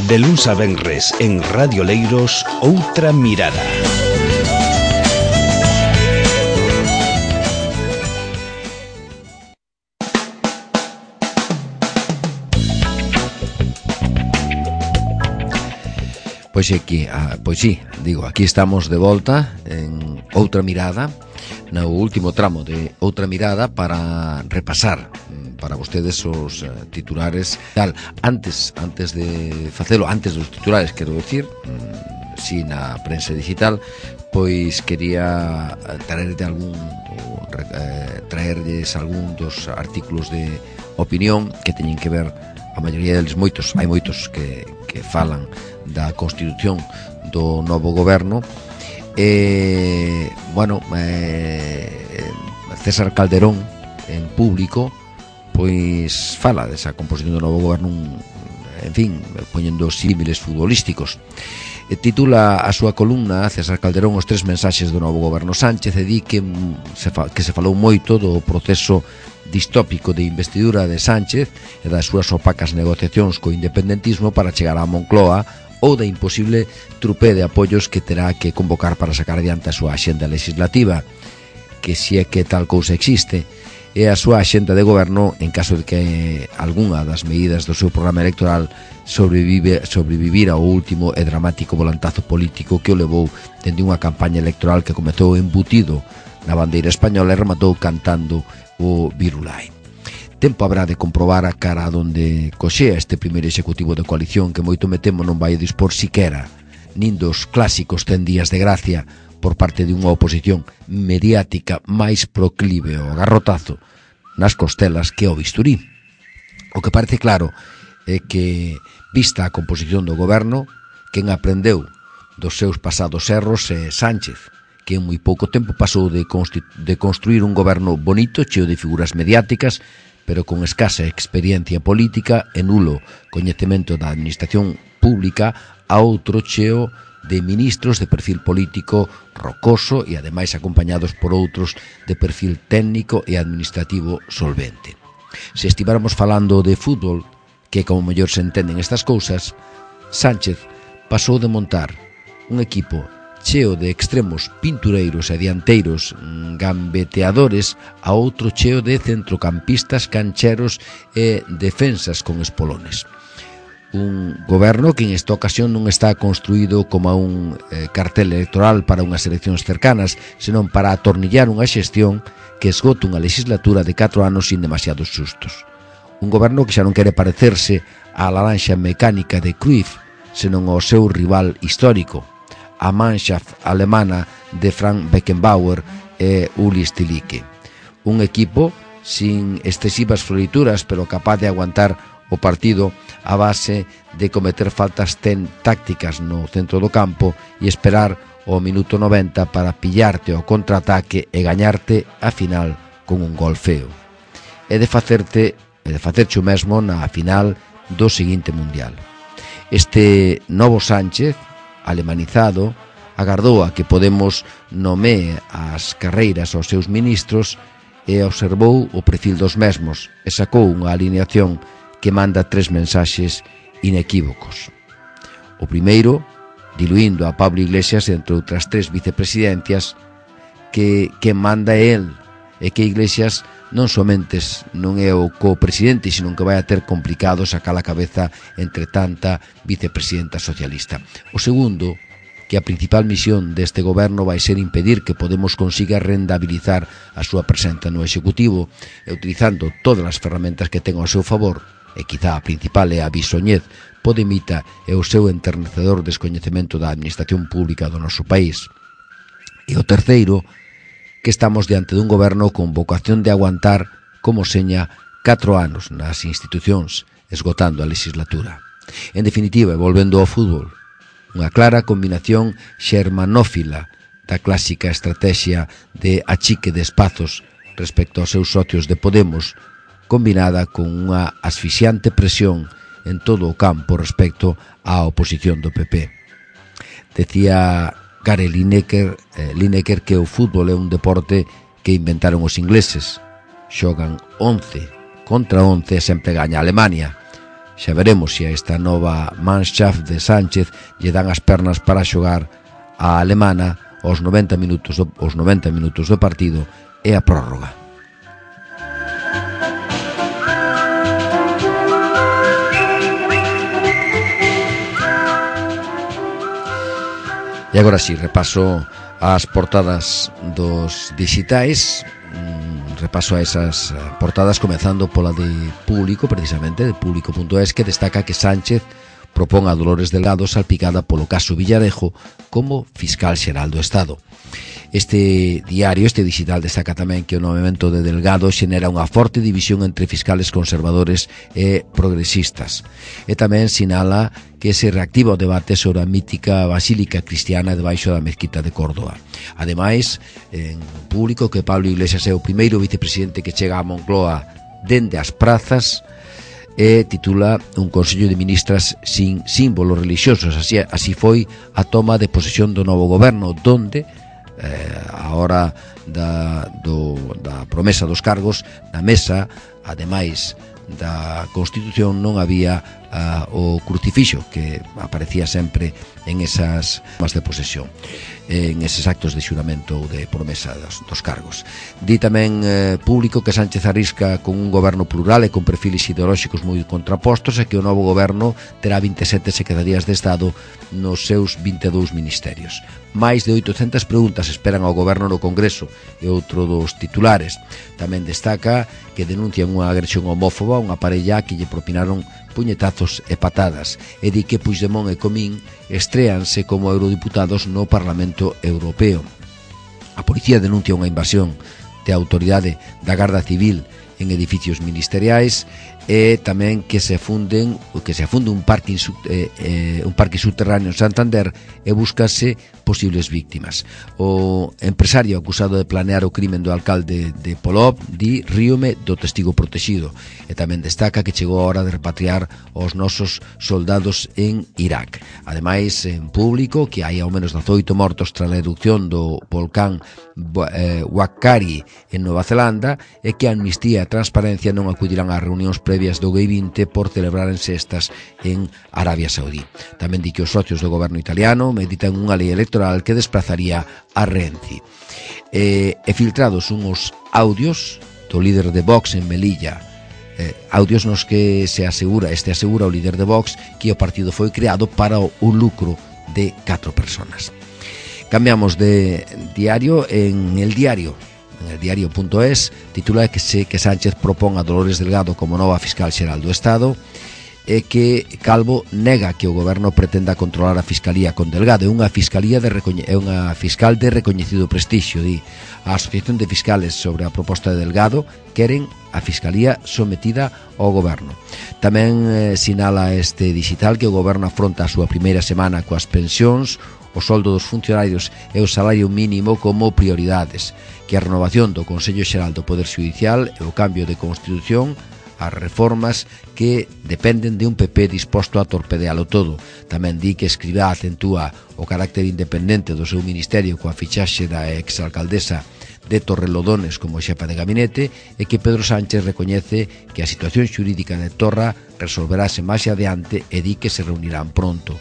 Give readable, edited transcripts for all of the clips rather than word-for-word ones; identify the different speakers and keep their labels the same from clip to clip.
Speaker 1: De luns a venres en Radio Leiros, Outra Mirada.
Speaker 2: Pois aquí estamos de volta en Outra Mirada, no último tramo de Outra Mirada, para repasar para vostedes os titulares tal. Antes de facelo, antes dos titulares, quero decir, si na prensa digital, pois quería traerlles algún dos artículos de opinión que teñen que ver, a maioría deles, hai moitos que falan da constitución do novo goberno. César Calderón, en público, pois fala desa composición do novo goberno, en fin, poñendo símiles futbolísticos. Titula a súa columna, César Calderón, os 3 mensaxes do novo goberno Sánchez, e di que se falou moito do proceso distópico de investidura de Sánchez e das súas opacas negociacións co independentismo para chegar á Moncloa, ou da imposible trupé de apoios que terá que convocar para sacar adiante a súa axenda legislativa, que si é que tal cousa existe, e a súa axenda de goberno en caso de que algunha das medidas do seu programa electoral sobrevivir ao último e dramático volantazo político que o levou dende unha campaña electoral que comezou embutido na bandeira española e rematou cantando o Virulai. Tempo habrá de comprobar a cara onde coxea este primeiro executivo de coalición, que moito me temo non vai dispor siquera nin dos clásicos 100 días de gracia por parte de unha oposición mediática máis proclive ao garrotazo nas costelas que ao bisturí. O que parece claro é que, vista a composición do goberno, quen aprendeu dos seus pasados erros é Sánchez, que en moi pouco tempo pasou de construir un goberno bonito, cheo de figuras mediáticas, pero con escasa experiencia política e nulo coñecemento da administración pública, a outro cheo de ministros de perfil político rocoso e ademais acompañados por outros de perfil técnico e administrativo solvente. Se estiváramos falando de fútbol, que como mellor se entenden estas cousas, Sánchez pasou de montar un equipo cheo de extremos pintureiros e dianteiros gambeteadores a outro cheo de centrocampistas cancheros e defensas con espolones. Un goberno que en esta ocasión non está construído como un cartel electoral para unhas eleccións cercanas, senón para atornillar unha xestión que esgote unha legislatura de 4 anos sin demasiados sustos. Un goberno que xa non quere parecerse á laranxa mecánica de Cruyff, senón ao seu rival histórico, a Mannschaft alemana de Frank Beckenbauer e Uli Stilicke. Un equipo sin excesivas florituras, pero capaz de aguantar o partido a base de cometer faltas tácticas no centro do campo e esperar o minuto 90 para pillarte ao contraataque e gañarte a final con un gol feo. E de facerche o mesmo na final do seguinte mundial. Este novo Sánchez, alemanizado, agardou a que Podemos nomee as carreiras aos seus ministros e observou o perfil dos mesmos e sacou unha alineación que manda 3 mensaxes inequívocos. O primeiro, diluindo a Pablo Iglesias entre outras 3 vicepresidencias, que manda el, e que Iglesias non somente non é o co-presidente, sino que vai a ter complicado sacar a cabeza entre tanta vicepresidenta socialista. O segundo, que a principal misión deste goberno vai ser impedir que Podemos consiga rendabilizar a súa presenza no Executivo e utilizando todas as ferramentas que ten ao seu favor, e quizá a principal é a bisoñez podemita e o seu enternecedor descoñecemento da administración pública do noso país. E o terceiro, que estamos diante dun goberno con vocación de aguantar, como seña, 4 anos nas institucións, esgotando a legislatura. En definitiva, e volvendo ao fútbol, unha clara combinación xermanófila da clásica estrategia de achique de espazos respecto aos seus socios de Podemos, combinada con unha asfixiante presión en todo o campo respecto á oposición do PP. Decía Gary Lineker que o fútbol é un deporte que inventaron os ingleses. Xogan 11 contra 11 e sempre gaña Alemania. Xa veremos se a esta nova Mannschaft de Sánchez lle dan as pernas para xogar a alemana os 90 minutos do partido e a prórroga. E agora si, repaso as portadas dos digitais, repaso a esas portadas comezando pola de Público, precisamente, de Público.es, que destaca que Sánchez propón a Dolores Delgado salpicada polo caso Villarejo como fiscal xeral do Estado. Este diario, este digital, destaca tamén que o nomeamento de Delgado xenera unha forte división entre fiscales conservadores e progresistas. E tamén sinala que se reactiva o debate sobre a mítica basílica cristiana debaixo da mezquita de Córdoba. Ademais, en Público, que Pablo Iglesias é o primeiro vicepresidente que chega a Moncloa dende as prazas, e titula un Consello de Ministras sin símbolos religiosos. Así foi a toma de posesión do novo goberno, donde a hora da promesa dos cargos na mesa, ademais da Constitución, non había o crucifixo que aparecía sempre en esas tomas de posesión, en eses actos de xuramento ou de promesa dos cargos. Di tamén Público que Sánchez arrisca con un goberno plural e con perfiles ideolóxicos moi contrapostos e que o novo goberno terá 27 secretarías de Estado nos seus 22 ministerios. Mais de 800 preguntas esperan ao goberno no Congreso, e outro dos titulares. Tamén destaca que denuncian unha agresión homófoba a unha parella que lle propinaron puñetazos e patadas, e di que Puigdemont e Comín estréanse como eurodiputados no Parlamento Europeo. A policía denuncia unha invasión de autoridade da Garda Civil en edificios ministeriais, e tamén que se afunde un parque subterráneo en Santander e búscase posibles víctimas. O empresario acusado de planear o crimen do alcalde de Polop di ríome do testigo protegido, e tamén destaca que chegou a hora de repatriar os nosos soldados en Irak. Ademais, en Público, que hai ao menos 18 mortos tras a erupción do volcán Waqari en Nova Zelanda, e que a Amnistía e a Transparencia non acudirán ás reunións previas do G20 por celebrárense estas en Arabia Saudí. Tamén di que os socios do goberno italiano meditan unha lei electoral que desplazaría a Renzi. E filtrados unhos audios do líder de Vox en Melilla, audios nos que asegura o líder de Vox que o partido foi creado para o lucro de 4 personas. Cambiamos de diario. En el diario.es titula que Sánchez propón a Dolores Delgado como nova fiscal xeral do Estado, e que Calvo nega que o goberno pretenda controlar a fiscalía con Delgado. É unha fiscal de recoñecido prestixio, di. A Asociación de Fiscales sobre a proposta de Delgado queren a fiscalía sometida ao goberno. Tamén sinala este digital que o goberno afronta a súa primeira semana coas pensións, o soldo dos funcionarios e o salario mínimo como prioridades, que a renovación do Consello Xeral do Poder Xudicial e o cambio de Constitución, as reformas que dependen de un PP disposto a torpedealo todo. Tamén di que Escrivá acentúa o carácter independente do seu ministerio coa fichaxe da exalcaldesa de Torrelodones como xefa de gabinete, e que Pedro Sánchez recoñece que a situación xurídica de Torra resolverase máis adiante, e di que se reunirán pronto.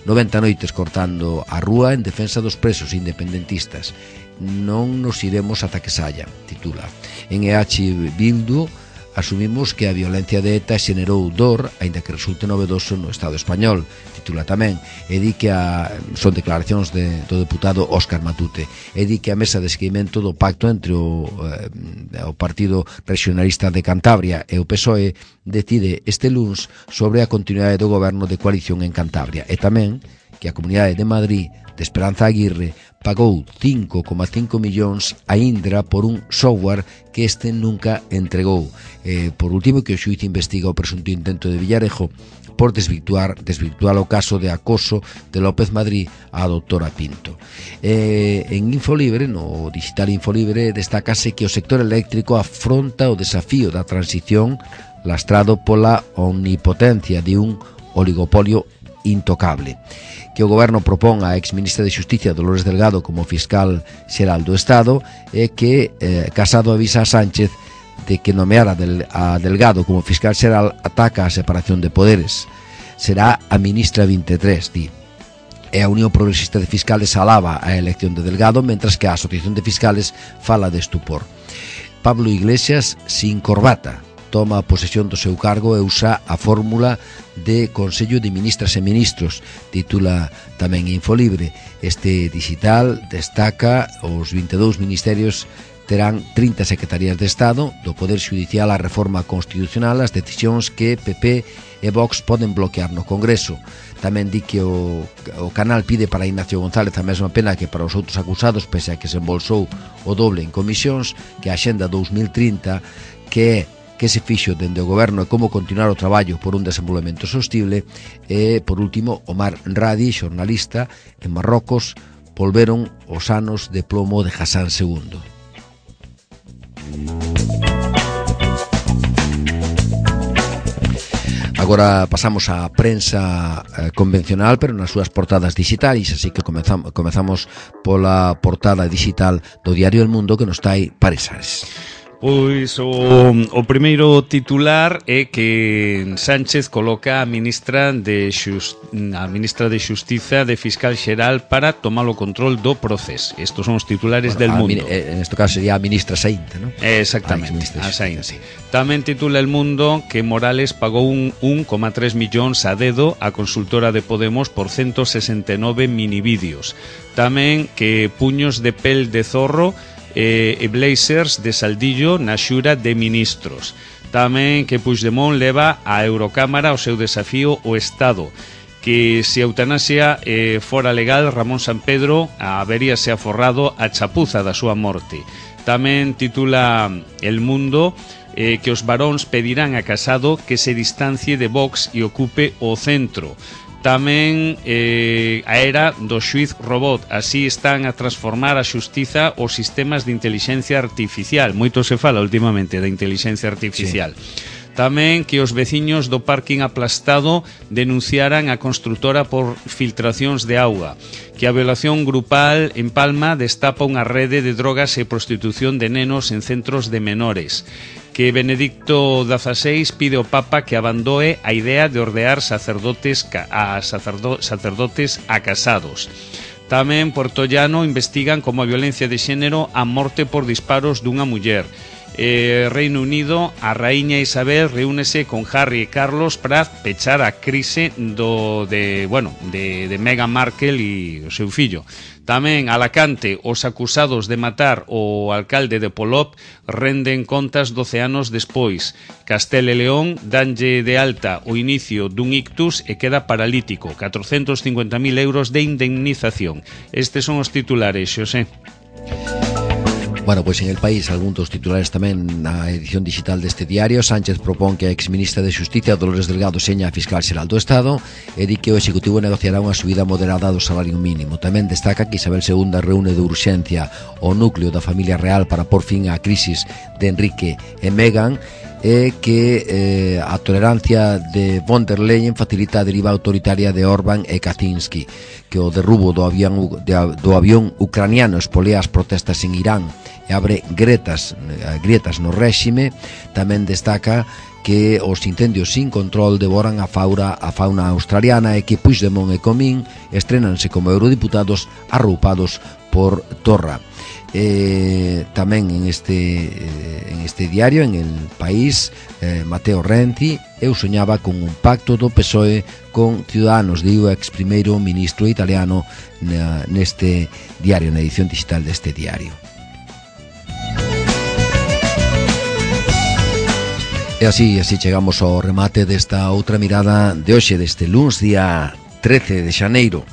Speaker 2: 90 noites cortando a rúa en defensa dos presos independentistas. Non nos iremos ata que saia, titula. En EH Bildu asumimos que a violencia de ETA xenerou dor, aínda que resulte novedoso no Estado español, titula tamén, e di que son declaracións do deputado Óscar Matute, e di que a mesa de seguimento do pacto entre o Partido Regionalista de Cantabria e o PSOE decide este luns sobre a continuidade do goberno de coalición en Cantabria, e tamén que a Comunidade de Madrid de Esperanza Aguirre pagou 5,5 millóns a Indra por un software que este nunca entregou. Por último, que o xuíz investiga o presunto intento de Villarejo por desvirtuar o caso de acoso de López Madrid á doutora Pinto. En Infolibre, no digital Infolibre, destácase que o sector eléctrico afronta o desafío da transición lastrado pola omnipotencia de un oligopolio intocable, que o goberno propón a exministra de Xusticia Dolores Delgado como fiscal xeral do Estado, e que Casado avisa a Sánchez de que nomeara a Delgado como fiscal xeral ataca a separación de poderes. Será a ministra 23, di. E a Unión Progresista de Fiscales alaba a elección de Delgado, mentras que a Asociación de Fiscales fala de estupor. Pablo Iglesias, sin corbata, toma a posesión do seu cargo e usa a fórmula de Consello de Ministras e Ministros, titula tamén Infolibre. Este digital destaca os 22 ministerios terán 30 secretarías de Estado, do Poder Xudicial á reforma constitucional, as decisións que PP e Vox poden bloquear no Congreso. Tamén di que o canal pide para Ignacio González a mesma pena que para os outros acusados, pese a que se embolsou o doble en comisións, que a Axenda 2030, que se fixo dende o goberno e como continuar o traballo por un desenvolvemento sostible. E, por último, Omar Radi, xornalista, en Marrocos, volveron os anos de plomo de Hassan II. Agora pasamos á prensa convencional, pero nas súas portadas digitais, así que comezamos pola portada digital do diario El Mundo, que nos trai Paresares.
Speaker 3: Pois o primeiro titular é que Sánchez coloca a ministra de Xustiza de Fiscal Xeral para tomar o control do proceso. Estos son os titulares del Mundo.
Speaker 2: En este caso sería a ministra Saínte, ¿no?
Speaker 3: Exactamente, a Saínte. Tamén titula El Mundo que Morales pagou 1,3 millóns a dedo a consultora de Podemos por 169 minivídeos. Tamén que puños de pel de zorro e blazers de Saldillo na xura de ministros. Tamén que Puigdemont leva a Eurocámara o seu desafío o Estado, que se a eutanasia fora legal, Ramón Sampedro haberíase aforrado a chapuza da súa morte. Tamén titula El Mundo que os varóns pedirán a Casado que se distancie de Vox e ocupe o centro. Tamén a era do xuiz robot. Así están a transformar a xustiza os sistemas de inteligencia artificial. Moito se fala últimamente da inteligencia artificial. Sí. Tamén que os veciños do parking aplastado denunciaran a construtora por filtracións de auga. Que a violación grupal en Palma destapa unha rede de drogas e prostitución de nenos en centros de menores. Que Benedicto XVI pide ao Papa que abandoe a idea de ordear sacerdotes a casados. Tamén Porto Llano investigan como a violencia de xénero a morte por disparos dunha muller. Reino Unido, a raíña Isabel reúnese con Harry e Carlos para pechar a crise de Meghan Markle e o seu fillo. Tamén Alacante, os acusados de matar o alcalde de Polop renden contas 12 anos despois. Castela e León danlle de alta o inicio dun ictus e queda paralítico. 450.000 euros de indemnización. Estes son os titulares, Xosé.
Speaker 2: Bueno, pois en El País, algún dos titulares tamén na edición digital deste diario. Sánchez propón que a exministra de Xustiza, Dolores Delgado, seña a fiscal xeral do Estado e di que o Executivo negociará unha subida moderada do salario mínimo. Tamén destaca que Isabel II reúne de urxencia o núcleo da familia real para por fin á crisis de Enrique e Meghan e que a tolerancia de von der Leyen facilita a deriva autoritaria de Orbán e Kaczynski, que o derrubo do avión ucraniano espolea as protestas en Irán e abre grietas no réxime. Tamén destaca que os incendios sin control devoran a fauna australiana e que Puigdemont e Comín estrenanse como eurodiputados arroupados por Torra. Tamén en este diario, en El País, Matteo Renzi, eu soñaba con un pacto do PSOE con Ciudadanos, diu o ex primeiro ministro italiano neste diario, na edición digital deste diario. E así chegamos ao remate desta outra mirada de hoxe, deste luns, día 13 de xaneiro.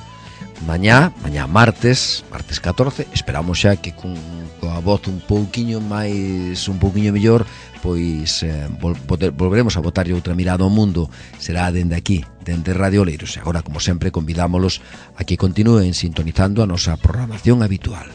Speaker 2: Mañá martes 14, esperamos xa que coa voz un pouquiño mellor, pois volveremos a botarlle outra mirada ao mundo. Será dende aquí, dende Radio Oleiros. E agora, como sempre, convidámolos a que continúen sintonizando a nosa programación habitual.